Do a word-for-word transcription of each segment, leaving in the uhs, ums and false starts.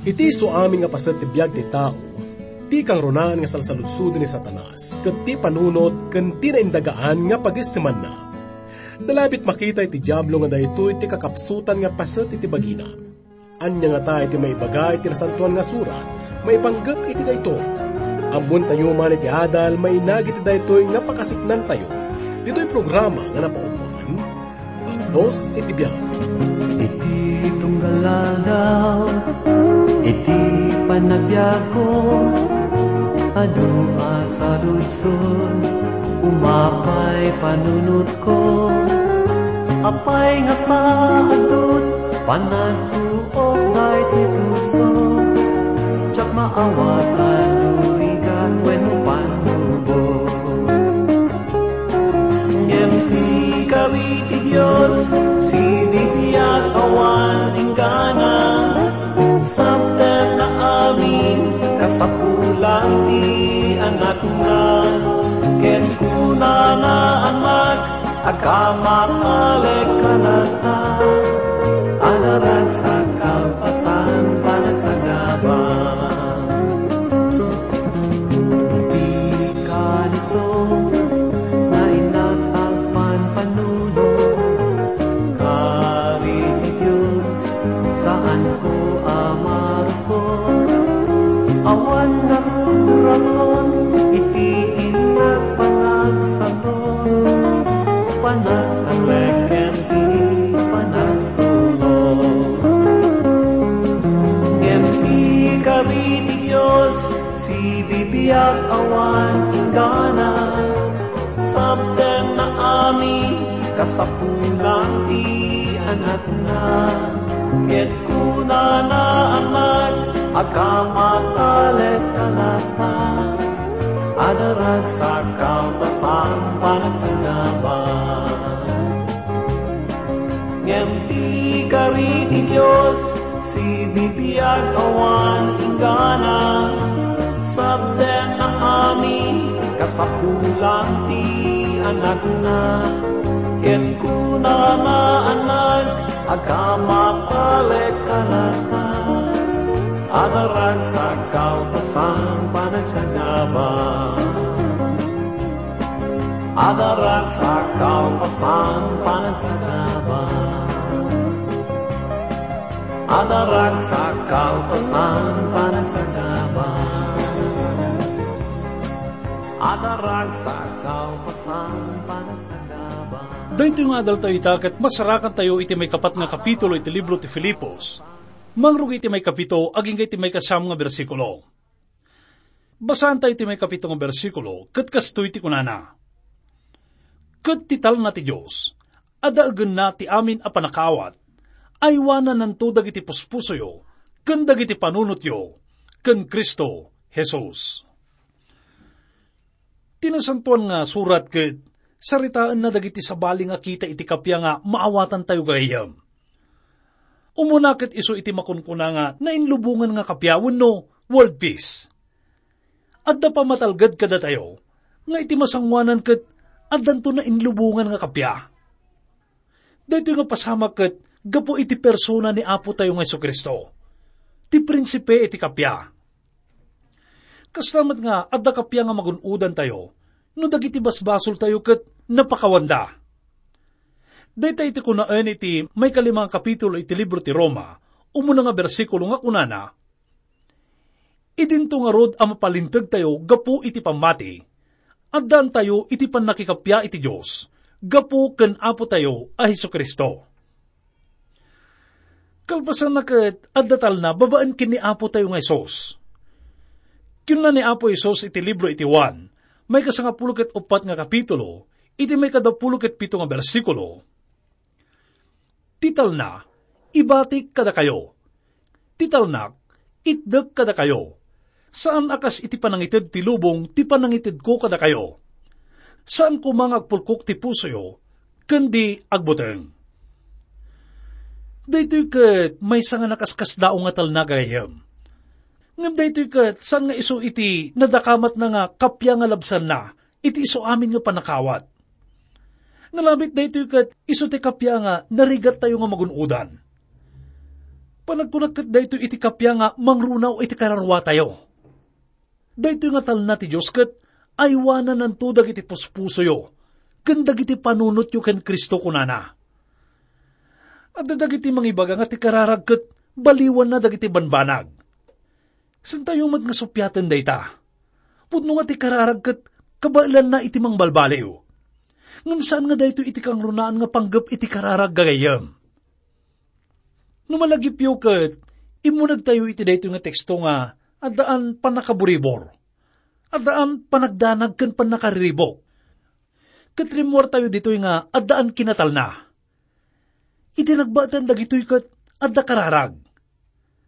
Iti isu amin nga paset ti biag ti tao, ti kangrunaan nga salsaludsod ni Satanas, ket ti panunot ken ti naindagaan nga pagissemanna. Nalabit makita iti Diablo nga daytoy ti kakapsutan nga paset iti bagina. Ania ngata iti maibaga iti Nasantoan nga Surat maipanggep iti daytoy? Ammoentayo man iti adal mainagi iti daytoy nga pakasiknantayo. Ditoy programa nga napauluan, Pagnos iti biag. Iti tunggal aldaw, iti panagbiagko, adu a saludsod, umapay panunotko. Apay ngata adut panagtuok daytoy puso, diak maawat a durigat wenno pannubo. Ngem ti kari ti Dios, sibibiag awan inggana, sabtenna amin kasapulan ti anakna. Ket kunana, Anak, agka matalek ka latta, adda ragsak kalpasan panagsagaba. Ti kanito, nainnak agpanpanunot, kari ti Dios, saanko a marukot. Awan ngarud rason iti innak panagsanon, panagtalek ken ti panagtulong. Ngem ti kari ti Dios, sibibiag awan inggana, sabtenna amin kasapulan ti anakna. Ket kunana, Anak, agka matalek ka latta, adda ragsak kalpasan panagsagaba. Ngem ti kari ti Dios, sibibiag awan inggana, sabtenna amin kasapulan ti anakna. Ket kunana, Anak, agka matalek ka latta, adda ragsak kalpasan panagsagaba. Adda ragsak kalpasan panagsagaba. Adda ragsak kalpasan panagsagaba. Adda ragsak kalpasan panagsagaba. Daytoy nga adaltayo ita ket masarakantayo iti maikapat nga kapitulo iti libro ti Filipos. Mangrugi iti maikapito agingga iti maikasiam nga bersikulo. Basaantayo ti maikapito nga bersikulo, ket kastoy ti kunana, "Ket ti talna ti Dios, a daegenna ti amin a pannakaawat, aywanananto dagiti puspusoyo ken dagiti panunotyo ken Cristo Jesus." Ti Nasantoan nga Surat ket saritaenna dagiti sabali nga kita iti kappia nga maawatantayo gagayyem. Umuna ket isu iti makunkuna nga nainlubongan nga kappia wenno world peace. Adda pammatalged kadatayo nga iti masangoanan ket addanto nainlubongan nga kappia. Daytoy nga pasamak ket gapu iti persona ni Apotayo nga Jesu-Cristo, ti Prinsipe iti kappia. Kasta met nga adda kappia nga magun-odantayo no dagiti basbasoltayo ket napakawanda. Dayta iti kunaen iti maikalima nga kapitulo iti libro ti Roma, umuna nga bersikulo nga kunana, "Idinto ngarud a mapalintegtayo gapu iti pammati, addaantayo iti pannakikappia iti Dios gapu ken Apotayo a Jesu-Cristo." Kalpasanna ket adda talna babaen ken ni Apotayo nga Jesus. Kinuna ni Apo Jesus iti libro iti Juan, maikasangapulo ket uppat nga kapitulo, iti maikadapulo ket pito nga bersikulo, "Ti talna, ibatik kadakayo. Ti talnak, itdek kadakayo. Saan a kas iti panangited ti lubong ti panangitedko kadakayo. Saan koma nga agpulkok ti pusoyo ken di agbuteng." Daytoy ket maysa nga nakaskasdaaw nga talna, gagayyem. Ngem daytoy ket saan nga isu iti nadakamatna nga kappia nga labsanna iti isu amin nga pannakaawat. Nalabit daytoy ket isu ti kappia nga narigattayo nga magun-odan. Panagkunak ket daytoy iti kappia nga mangrunaw iti kararuatayo. Daytoy nga talna ti Dios ket aywanananto dagiti puspusoyo ken dagiti panunotyo ken Cristo, kunana. Adda dagiti mangibaga nga ti kararag ket baliwanna dagiti banbanag. Saantayo met nga suppiaten dayta. Pudno nga ti kararag ket kabaelanna iti mangbalbaliw. Ngem saan nga daytoy iti kangrunaan nga panggep iti kararag, gagayyem. No malagipyo ket immunegtayo iti daytoy nga teksto nga addaan pannakaburibor, addaan panagdanag ken pannakariribuk. Ket rimmuartayo ditoy nga addaan kinatalna. Iti nagbaetan dagitoy ket adda kararag.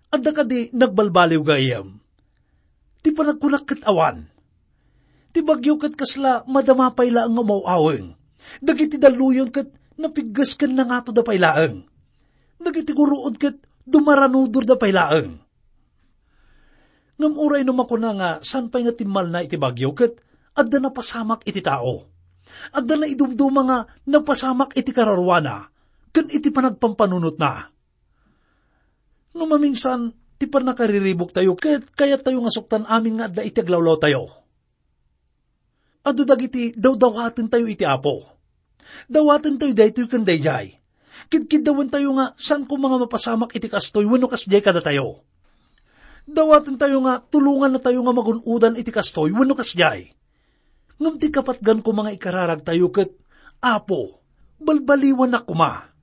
Adda kadi nagbalbaliw, gayyem? Ti panagkunak ket awan. Ti bagyo ket kasla madama pay laeng nga umaw-aweng. Dagiti dalluyon ket napigges ken nangatoda pay laeng. Dagiti guruod ket dumaranudorda pay laeng. Ngem uray no makuna nga saan pay nga timmalna iti bagyo ket adda napasamak iti tao. Adda naidumduma nga napasamak iti kararuana ken iti panagpampanunotna. No maminsan, ti pannakariribuktayo ket kayattayo nga suktan amin nga adda iti aglawlawtayo. Adu dagiti dawdawatentayo iti Apo. Dawatentayo daytoy ken daydiay. Kidkiddawentayo nga saan koma nga mapasamak iti kastoy wenno kasdiay kadatayo. Dawatentayo nga tulongannatayo nga magun-odan iti kastoy wenno kasdiay. Ngem ti kapatgan koma nga ikararagtayo ket, "Apo, balbaliwannak koma."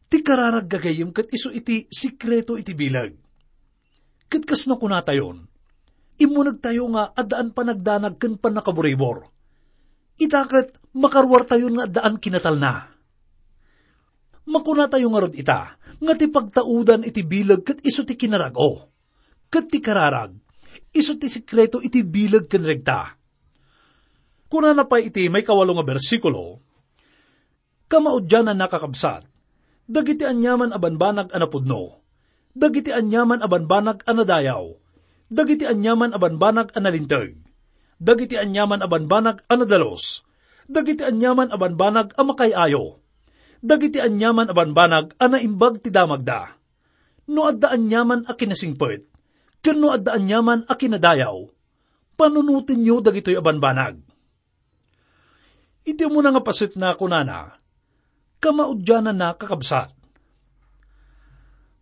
Ti kararag, gagayyem, ket isu iti sekreto iti bileg. Ket kas nakunatayon, immunegtayo nga addaan panagdanag ken pannakaburibor. Ita ket makaruartayon nga addaan kinatalna. Makunatayo ngarud ita nga ti pagtaudan iti bileg ket isu ti kinarag-o. Ket ti kararag, isu ti sekreto iti bileg ken regta. Kunana pay iti maikawalo nga bersikulo, "Kamaudiananna, kakabsat, dagiti aniaman a banbanag a napudno, dagiti aniaman a banbanag a nadayaw, dagiti aniaman a banbanag a nalinteg, dagiti aniaman a banbanag a nadalus, dagiti aniaman a banbanag a makaay-ayo, dagiti aniaman a banbanag a naimbag ti damagda. No adda aniaman a kinasingpet, ken no adda aniaman a kinadayaw, panunotenyo dagitoy a banbanag." Iti umuna nga paset na kunana, "Kamaudiananna, kakabsat."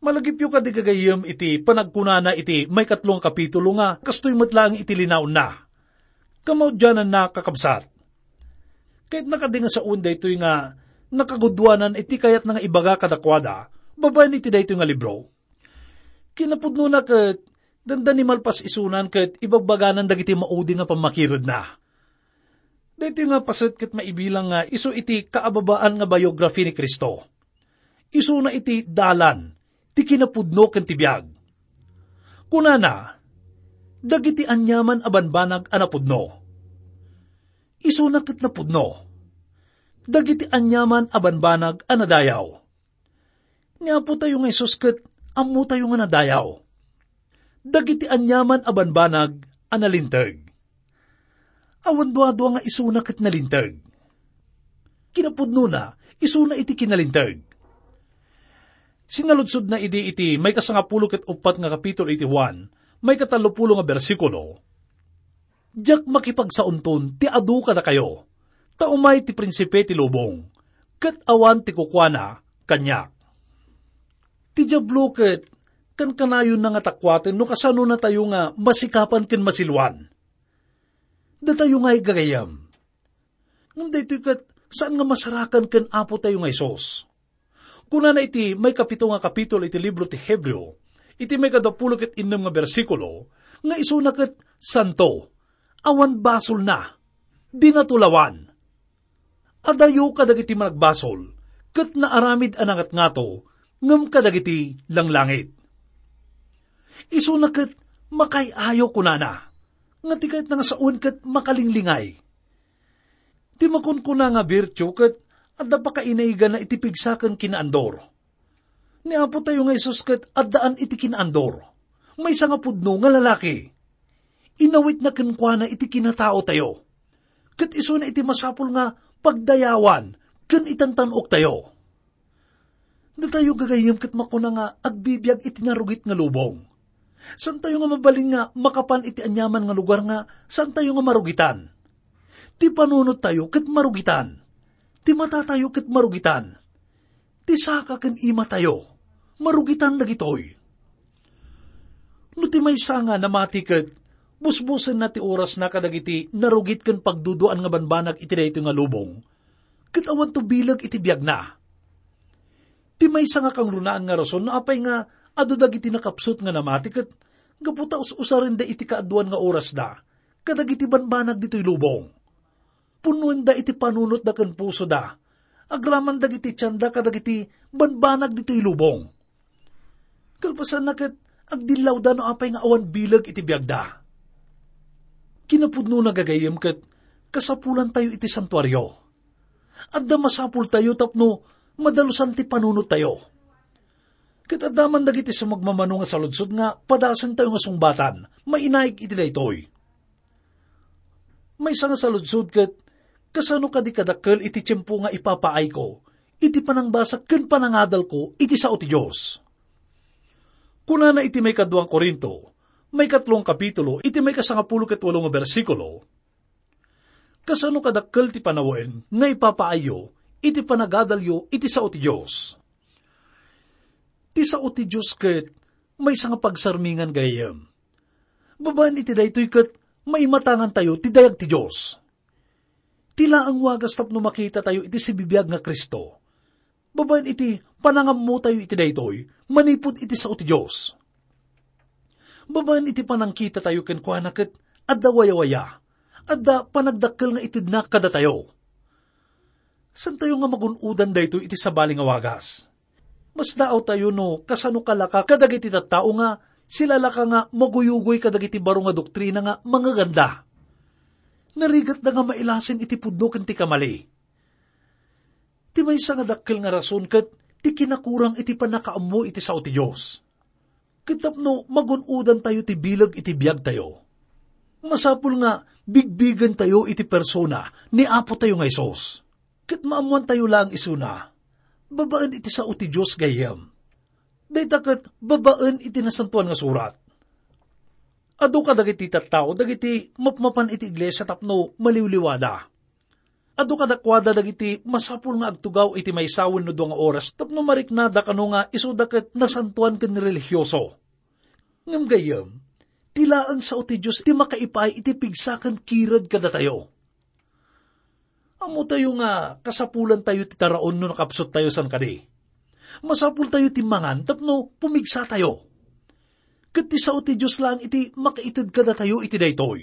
Malagipyo kadi, gagayyem, iti panagkunana iti maikatlo nga kapitulo nga kastoy met laeng iti linaonna, "Kamaudiananna, kakabsat." Kayatna kadi nga saoen daytoy nga nakagudduanan iti kayatna nga ibaga kadakuada babaen iti daytoy nga libro. Kinapudnona ket dandani malpas isunan ket ibagbaganan dagiti maudi nga pammakiredna. Daytoy nga paset ket maibilang nga isu iti kaababaan nga biography ni Cristo. Isuna iti dalan, ti kinapudno ken ti biag. Kunana, "Dagiti aniaman a banbanag a napudno." Isuna ket napudno. "Dagiti aniaman a banbanag a nadayaw." Ni Apotayo nga Jesus ket ammotayo nga nadayaw. "Dagiti aniaman a banbanag a nalinteg." Awan duadua nga isuna ket nalinteg. Kinapudnona, isuna iti kinalinteg. Sinaludsodna idi iti maikasangapulo ket uppat nga kapitulo iti Juan, maikatallopulo nga bersikulo, "Diak makipagsaonton ti adu kadakayo, ta umay ti prinsipe ti lubong, ket awan ti kukuana kaniak." Ti Diablo ket kankanayonna nga takuaten no kasanonatayo nga masikapan ken masiluan. Datayo nga, gagayyem. Ngem daytoy ket saan nga masarakan ken Apotayo nga Jesus. Kunana iti maikapito nga kapitulo iti libro ti Hebreo, iti maikadapulo ket innem nga bersikulo, nga isuna ket santo, awan basolna, di natulawan. Adayo kadagiti managbasol, ket naaramid a nangatngato ngem kadagiti langlangit. Isuna ket makaay-ayo, kunana, nga ti kayatna nga sawen ket makalinglingay. Ti makunkuna nga virtue ket adda pakainaigana iti pigsa ken kinaandor. Ni Apotayo nga Jesus ket addaan iti kinaandor. Maysa nga pudno nga lalaki. Inawitna kenkuana iti kinataotayo. Ket isuna iti masapul nga pagdayawan ken itantan-oktayo. Datayo gagayyem ket makuna nga agbibiag iti narugit nga lubong. Saantayo nga mabalin nga makapan iti aniaman nga lugar nga saantayo nga marugitan. Ti panunottayo ket marugitan. Ti matatayo ket marugitan. Ti saka ken imatayo, marugitan dagitoy. No ti maysa nga namati ket busbusenna ti orasna kadagiti narugit ken pagduduaan nga banbanag iti daytoy nga lubong, ket awanto bileg iti biagna. Ti maysa nga kangrunaan nga rason no apay nga adu dagiti nakapsut nga namati ket gapu ta us-usarenda iti kaaduan nga orasda kadagiti banbanag ditoy lubong. Punnoenda iti panunotda ken pusoda, agraman dagiti tienda kadagiti banbanag ditoy lubong. Kalpasanna ket agdillawda no apay nga awan bileg iti biagda. Kinapudnona gagayyem ket kasapulantayo iti santuario. Adda masapultayo tapno madalusan ti panunottayo. Ket adda man dagiti sumagmamano nga saludsod nga padasentayo nga sungbatan, mainaig iti daytoy. Maysa nga saludsod ket, kasano kadi kadakkel iti tiempo nga ipapaayko iti panangbasa ken panangadalko iti sao ti Dios? Kunana iti maikadua Corinto, maikatlo a kapitulo, iti maikasangapulo ket walo nga bersikulo, "Kasano kadakkel ti panawen nga ipapaayyo iti panagadalyo iti sao ti Dios?" Ti sao ti Dios ket maysa nga pagsarmingan gayam. Babaen iti daytoy ket maimatangantayo ti dayag ti Dios. Ti laeng wagas tapno makitatayo iti sibibiag nga Cristo. Babaen iti panangammotayo iti daytoy manipud iti sao ti Dios. Babaen iti panangkitatayo kenkuana ket adda wayawaya, adda panagdakkel nga itedna kadatayo. Saantayo nga magun-odan daytoy iti sabali nga wagas. Masdaawtayo no kasano kalaka kadagiti tattao nga sila laka nga maguyugoy kadagiti baro nga doktrina nga mangaganda. Narigatda nga mailasin iti pudno ken ti kamali. Ti maysa nga dakkel nga rason ket ti kinakurang iti pannakaammo iti sao ti Dios. Ket tapno magun-odantayo ti bileg iti biagtayo, masapul nga bigbigentayo iti persona ni Apotayo nga Jesus. Ket maammoantayo laeng isuna, babaen iti sao ti Dios gayyem. Dayta ket babaen iti Nasantoan nga Surat. Adu kadagiti tattao dagiti mapmapan iti iglesia tapno maliwliwada. Adu kadakuada dagiti masapul nga agtugaw iti maysa wenno dua nga oras tapno mariknada kano nga isuda ket nasantoan ken relihioso. Ngem gayyem, ti laeng sao ti Dios ti makaipaay iti pigsa ken kired kadatayo. Ammotayo nga kasapulantayo ti taraon no nakapsuttayo saan kadi. Masapultayo ti mangan tapno pumigsatayo. Ket ti sao ti Dios laeng iti makaited kadatayo iti daytoy,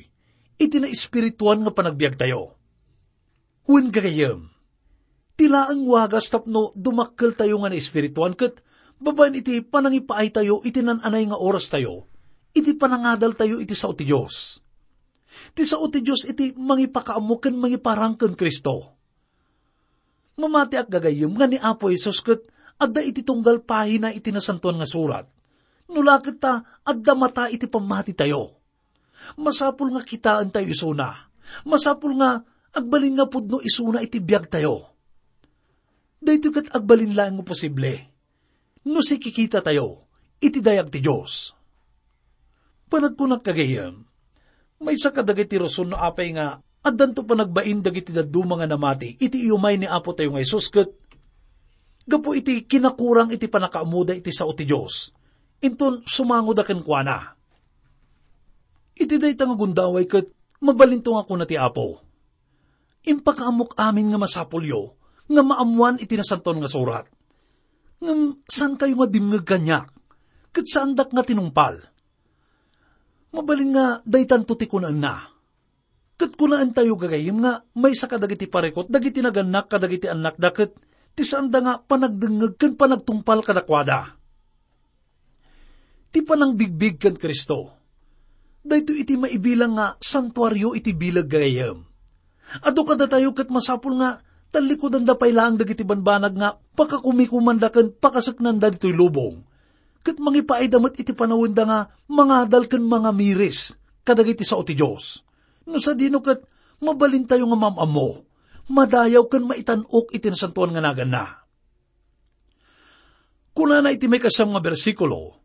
iti naespirituan nga panagbiagtayo. Wen gagayyem, ti laeng wagas tapno dumakkeltayo nga naespirituan ket babaen iti panangipaaytayo iti naan-anay nga orastayo, iti panangadaltayo iti sao ti Dios. Ti sao ti Dios iti mangipakaammo ken mangiparang ken Cristo. Mamatiak gagayyem nga ni Apo Jesus ket adda iti tunggal pahina iti Nasantoan nga Surat. No la ket ta adda mata iti pammatitayo. Masapul nga kitaentayo isuna. Masapul nga agbalin nga pudno isuna iti biagtayo. Daytoy ket agbalin laeng nga posible no sikikitatayo iti dayag ti Dios. Panagkunak gagayyem, maysa kadagiti rason no apay nga addanto panagbain dagiti dadduma nga namati iti iumay ni Apo tayo nga Jesus ket gapu iti kinakurang iti pannakaammoda iti sao ti Dios, inton sumangoda kenkuana. Iti dayta nga gundaway ket mabalinto nga kuna ti Apo, "Impakaammok amin nga masapulyo nga maammoan iti Nasantoan nga Surat. Ngem saankayo nga dimngeg kaniak, ket saandak nga tinungpal." Mabalin nga daytanto ti kunaenna. Ket kunaentayo gagayyem nga maysa kadagiti parikut dagiti nagannak kadagiti annakda ket ti saanda nga panagdengngeg ken panagtungpal kadakuada. Ti panangbigbig ken Cristo, daytoy iti maibilang nga santuario iti bileg gagayyem. Adu kadatayo ket masapul nga tallikudanda pay laeng dagiti banbanag nga pakakumikomanda ken pakaseknanda ditoy lubong, ket mangipaayda met iti panawenda nga mangadal ken mangamiris kadagiti sao ti Dios. No sadino ket mabalintayo nga maam-ammo, madayaw ken maitan-ok iti nasantoan nga naganna. Kunana iti maikasiam nga bersikulo,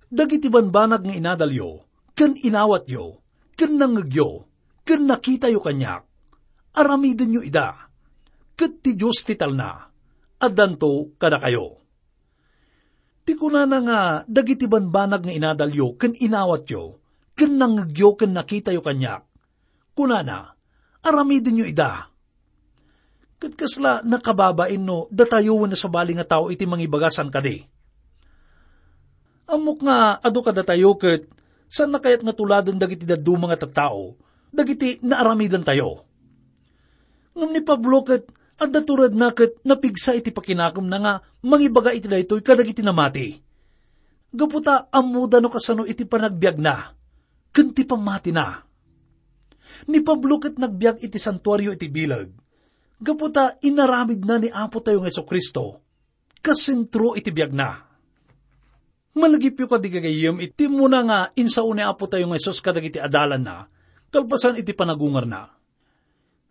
"Dagiti banbanag nga inadalyo, ken inawatyo, ken nangngegyo, ken nakitayo kaniak, aramidenyo ida, ket ti Dios ti talna, addanto kadakayo." Ti kunana nga dagiti banbanag nga inadalyo ken inawatyo, ken nangngegyo ken nakitayo kaniak, kunana, "Aramidenyo ida." Ket kasla nakababain no datayo wenno sabali nga tao iti mangibaga saan kadi. Ammok nga adu kadatayo ket saanna kayat nga tuladen dagiti dadduma nga tattao, dagiti naaramidentayo. Ngem ni Pablo ket adda turedna ket napigsa iti pakinakemna nga mangibaga iti daytoy kadagiti namati. Gapu ta ammoda no kasano iti panagbiagna ken ti pammatina. Ni Pablo ket nagbiag iti santuario iti bileg, gapu ta inaramidna ni Apo tayo nga Jesu-Cristo kas sentro iti biagna. Malagipyo kadi gagayyem iti immuna nga insao ni Apo tayo nga Jesus kadagiti adalanna kalpasan iti panagungarna.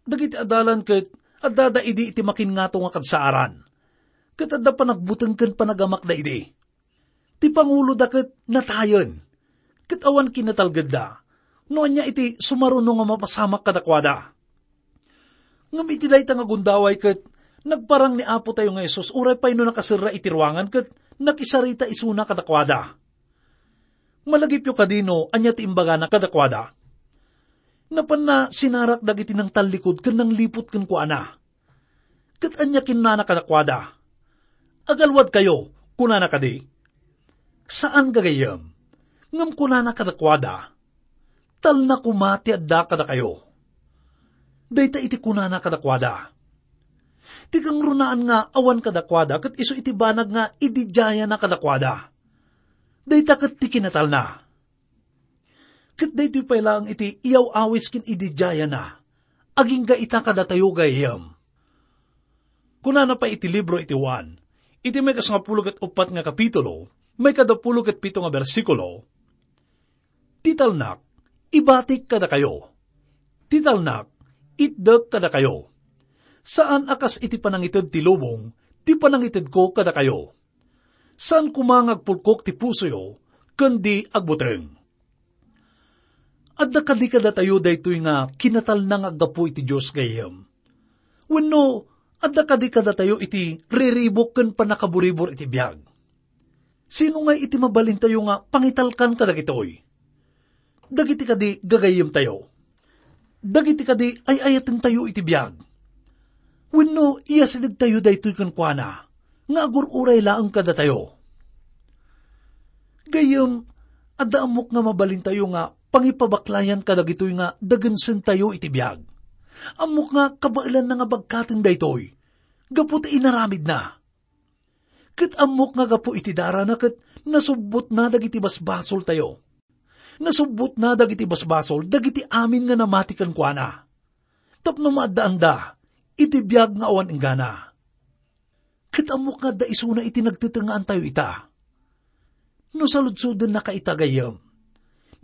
Dagiti adalan ket addada idi iti makinngato nga kadsaaran, ket adda panagbuteng ken panagamakda idi. Ti panguloda ket natayen, ket awan kinatalgedda no ania iti sumaruno nga mapasamak kadakuada. Ngem iti dayta nga gundaway ket nagparang ni Apo tayo nga Jesus uray pay no nakaserra iti ruangan ket nakisarita isuna kadakuada. Malagipyo kadi no ania ti imbagana kadakuada. Napanna sinarak dagiti nangtallikud ken nangliput kenkuana. Ket ania kinunana kadakuada? "Agalwadkayo," kunana kadi? Saan, gagayyem. Ngem kunana kadakuada, "Talna koma ti adda kadakayo." Dayta iti kunana kadakuada. Ti kangrunaan nga awan kadakuada ket isu iti banag nga ididiayana kadakuada. Dayta ket ti kinatalna. Ket daytoy pay laeng iti iyaw-awis ken ididiayana agingga ita kadatayo, gayyem. Kunana pay iti libro iti Juan, iti maikasngapulo ket uppat nga kapitulo, maikadapulo ket pito nga bersikulo, "Ti talnak, ibatik kadakayo. Ti talnak, itdek kadakayo. Saan a kas iti panangited ti lubong, ti panangitedko kadakayo. Saan koma nga agpulkok ti pusoyo, ken di agbuteng." Adda kadi kadatayo daytoy nga kinatalna nga aggapu iti Dios, gayyem? Wenno, adda kadi kadatayo iti riribuk ken pannakaburibor iti biag? Sino ngay iti mabalintayo nga pangitalkan kadagitoy? Dagiti kadi gagayyemtayo? Dagiti kadi ay-ayatentayo iti biag? Wenno iyasidegtayo daytoy kenkuana nga agur-uray laeng kadatayo? Gayyem, adda ammok nga mabalintayo nga pangipabaklayan kadagitoy nga dagensentayo iti biag. Ammok nga kabaelanna nga bagkaten daytoy gapu ta inaramidna. Ket ammok nga gapu iti darana ket nasubbotna dagiti basbasoltayo. Nasubbotna dagiti basbasol dagiti amin nga namati kenkuana, tapno maaddaanda iti biag nga awan inggana. Ket ammok nga adda isuna iti nagtetengngaantayo ita. No saludsodennaka ita, gayyem,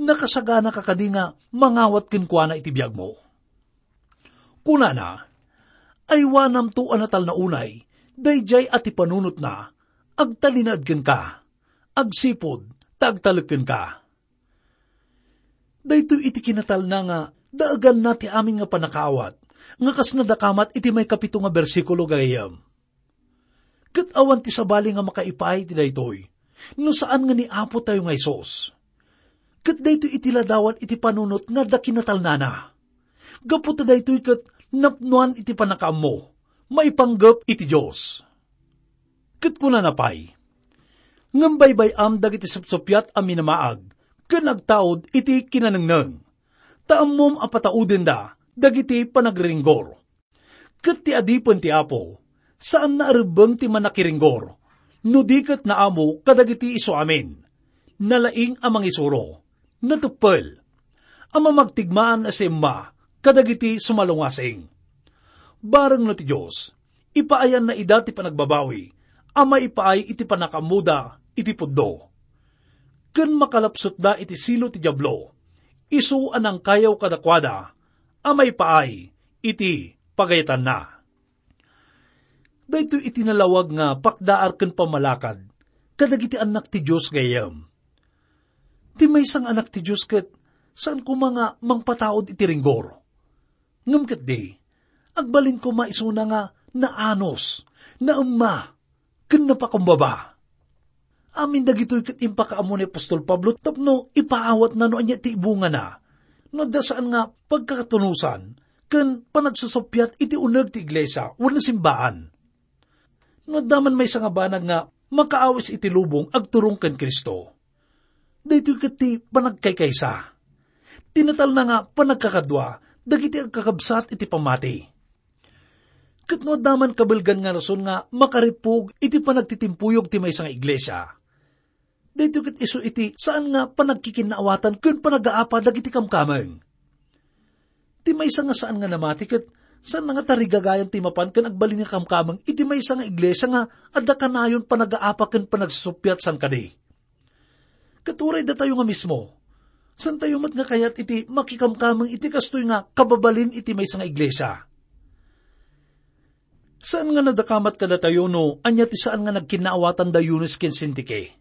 nakasaganaka kadi nga mangawat kenkuana iti biagmo? Kunana, "Aywanamto a natalna unay, daydiay a ti panunotna, agtalinaed kenka, agsipud ta agtalek kenka." Daytoy iti kinatalna nga daeganna ti amin nga pannakaawat, nga kas nadakamat iti maikapito nga bersikulo, gayyem. Ket awan ti sabali nga makaipaay iti daytoy, no saan nga ni Apo tayo nga Jesus. Ket daytoy iti ladawan iti panunot nga adda kinatalnana. Gapu ta daytoy ket napnoan iti pannakaammo, maipanggep iti Dios. Ket kunana pay, "Ngem baybay-am dagiti supsuppiat a minamaag ken agtaud iti kinanengneng, ta ammom a pataudenda dagiti panagriringgor." Ket ti adipen ti Apo, saanna a rebbeng ti mannakiringgor, no di ket naamo kadagiti isu amin. Nalaing a mangisuro, nateppel, a mamagtigmaan a simma kadagiti sumalungasing. Bareng no ti Dios, ipaayanna ida ti panagbabawi a maipaay iti pannakaammoda iti pudno. Ken makalapsutda iti silo ti Diablo, isu a nangkayaw kadakuada a maipaay iti pagayatanna. Daytoy iti nalawag nga pakdaar ken pammalakad kadagiti annak ti Dios gayyem. Ti maysa nga anak ti Dios ket saan koma nga mangpataud iti ringgor. Ngem ketdi, agbalin koma isuna nga naanus, naemma, ken napakumbaba. Amin dagitoy ket impakaammo ni apostol Pablo tapno ipaawatna no ania ti ibungana, no adda saan nga pagkakatunosan ken panagsusuppiat iti uneg ti iglesia wenno simbaan. No adda man maysa nga banag nga makaawis iti lubong agturong ken Cristo, daytoy ket ti panagkaykaysa. Ti natalna nga panagkakadua dagiti agkakabsat iti pammati. Ket no adda man kabelgan nga rason nga makarippug iti panagtitimpuyog ti maysa nga iglesia, daytoy ket isu iti saan nga panagkikinnaawatan ken panagaapa dagiti kamkameng. Ti maysa nga saan nga namati ket saan nga tarigagayan ti mapan ken agbalin nga kamkameng iti maysa nga iglesia nga adda kanayon panagaapa ken panagsuppiat saan kadi. Ket uray datayo nga mismo, saantayo met nga kayat iti makikamkameng iti kastoy nga kababalin iti maysa nga iglesia. Saan nga nadakamat kadatayo no ania ti saan nga nagkinnaawatan da Eunice ken Sintike.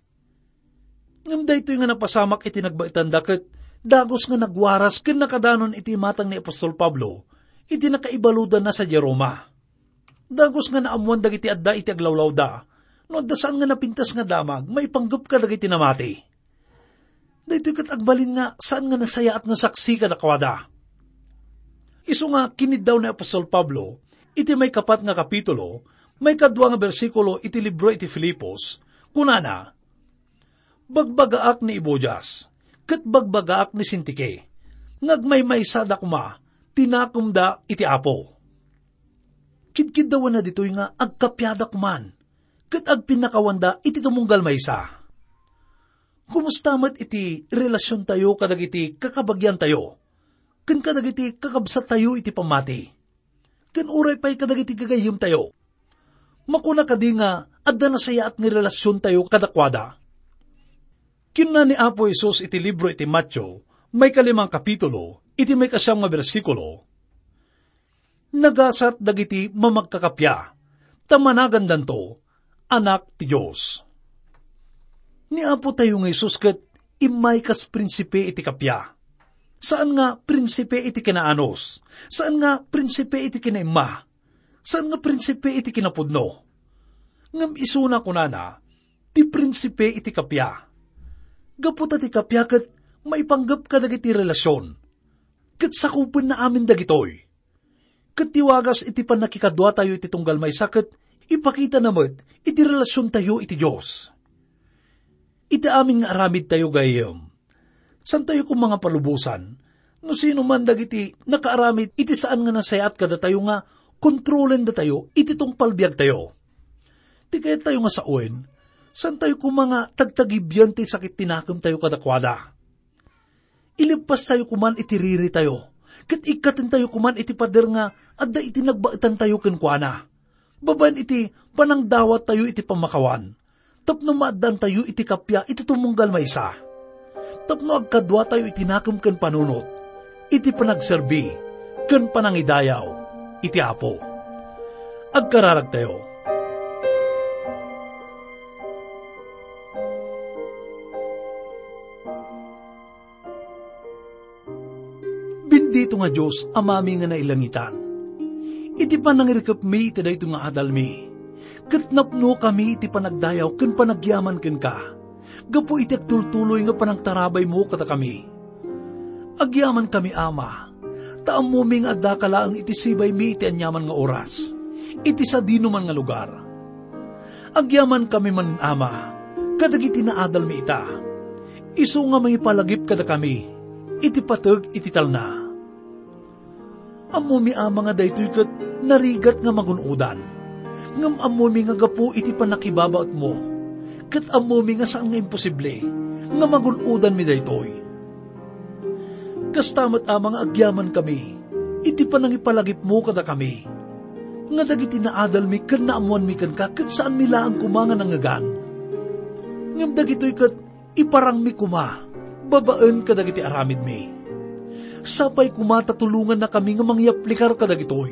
Ngem daytoy nga napasamak iti nagbaetanda ket dagus nga nagwaras ken nakadanon iti imatang ni apostol Pablo iti nakaibaludanna sadiay Roma. Dagus nga naammoan dagiti adda iti aglawlawda, no adda saan nga napintas nga damag maipanggep kadagiti namati. Daytoy ket agbalin nga saan nga nasayaat nga saksi kadakuada. Isu nga kiniddaw ni apostol Pablo iti maikapat nga kapitulo, maikadua nga bersikulo iti libro iti Filipos, kunana, "Bagbagaak ni Ebodias, ket bagbagaak ni Sintike, nga agmaymaysa da koma ti nakemda iti Apo." Kidkiddawanna ditoy nga agkapiada koman, ket agpinnakawanda iti tumunggal maysa. Kumusta met iti relasiontayo kadagiti kakabagiantayo, ken kadagiti kakabsattayo iti pammati, ken uray pay kadagiti gagayyemtayo? Makuna kadi nga adda nasayaat nga relasiontayo kadakuada? Kinuna ni Apo Jesus iti libro iti Mateo, maikalimang kapitulo, iti maikasiam nga bersikulo, "Nagasat dagiti mamagkakappia, ta managandanto anak ti Dios." Ni Apotayo nga Jesus ket immay kas prinsipe iti kappia. Saan nga prinsipe iti kinaanus, saan nga prinsipe iti kinaimma, saan nga prinsipe iti kinapudno. Ngem isuna kunana, ti prinsipe iti kappia. Gapu ta ti kappia ket maipanggep kadagiti relasion, ket sakupenna amin dagitoy. Ket ti wagas iti pannakikaduatayo iti tunggal maysa ket ipakitana met iti relasiontayo iti Dios. Iti amin nga aramidtayo gayyem, saantayo koma nga palubosan no sino man dagiti nakaaramid iti saan nga nasayaat kadatayo nga kontrolendatayo iti tungpal biagtayo. Ti kayattayo nga sawen, saantayo koma nga tagtagibian ti sakit ti nakemtayo kadakuada. Ileppastayo koman iti riritayo, ket ikkatentayo koman iti pader nga adda iti nagbaetantayo kenkuana, babaen iti panangdawattayo iti pammakawan, tapno maaddaantayo iti kappia iti tumunggal maysa, tapno agkaduatayo iti nakem ken panunot, iti panagserbi ken panangidayaw iti Apo. Agkararagtayo. Bendito nga Dios, Amami nga nailangitan, iti panangirikepmi iti daytoy nga adalmi, ket napnokami iti panagdayaw ken panagyaman kenka, gapu iti agtultuloy nga panangtarabaymo kadakami. Agyamankami, Ama, ta ammomi nga addaka laeng iti sibaymi iti aniaman nga oras, iti sadinoman nga lugar. Agyamankami man, Ama, kadagiti naadalmi ita, isu nga mangipalagip kadakami iti pateg iti talna. Ammomi, Ama, nga daytoy ket narigat nga magun-odan. Ngem ammomi nga gapu iti pannakibabaetmo, ket ammomi nga saan nga imposible nga magun-odanmi daytoy. Kasta met, Ama, nga agyamankami iti panangipalagipmo kadakami, nga dagiti naadalmi ken naammoanmi kenka ket saanmi laeng koma nga nangngegan. Ngem dagitoy ket iparangmi koma babaen kadagiti aramidmi. Sapay koma ta tulongannakami nga mangyaplikar kadagitoy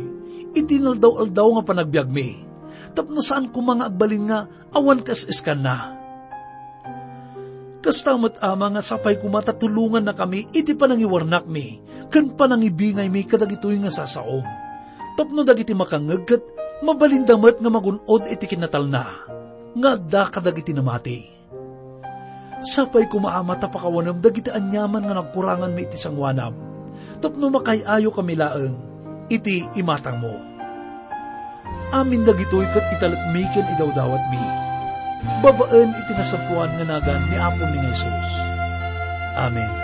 iti inaldaw-aldaw nga panagbiagmi, tapno saan koma nga agbalin nga awan kas-iskanna. Kasta met, Ama, nga sapay koma ta tulongannakami iti panangiwarnakmi ken panangibingaymi kadagitoy nga sasaom, tapno dagiti makangngeg ket mabalinda met nga magun-od iti kinatalna nga adda kadagiti namati. Sapay koma, Ama, ta pakawanem dagiti aniaman nga nagkuranganmi iti sangoanam, tapno makaay-ayokami laeng iti imatangmo. Amin dagitoy ket italekmi ken idawdawatmi babaen iti nasantoan nga nagan ni Apomi nga Jesus. Amen.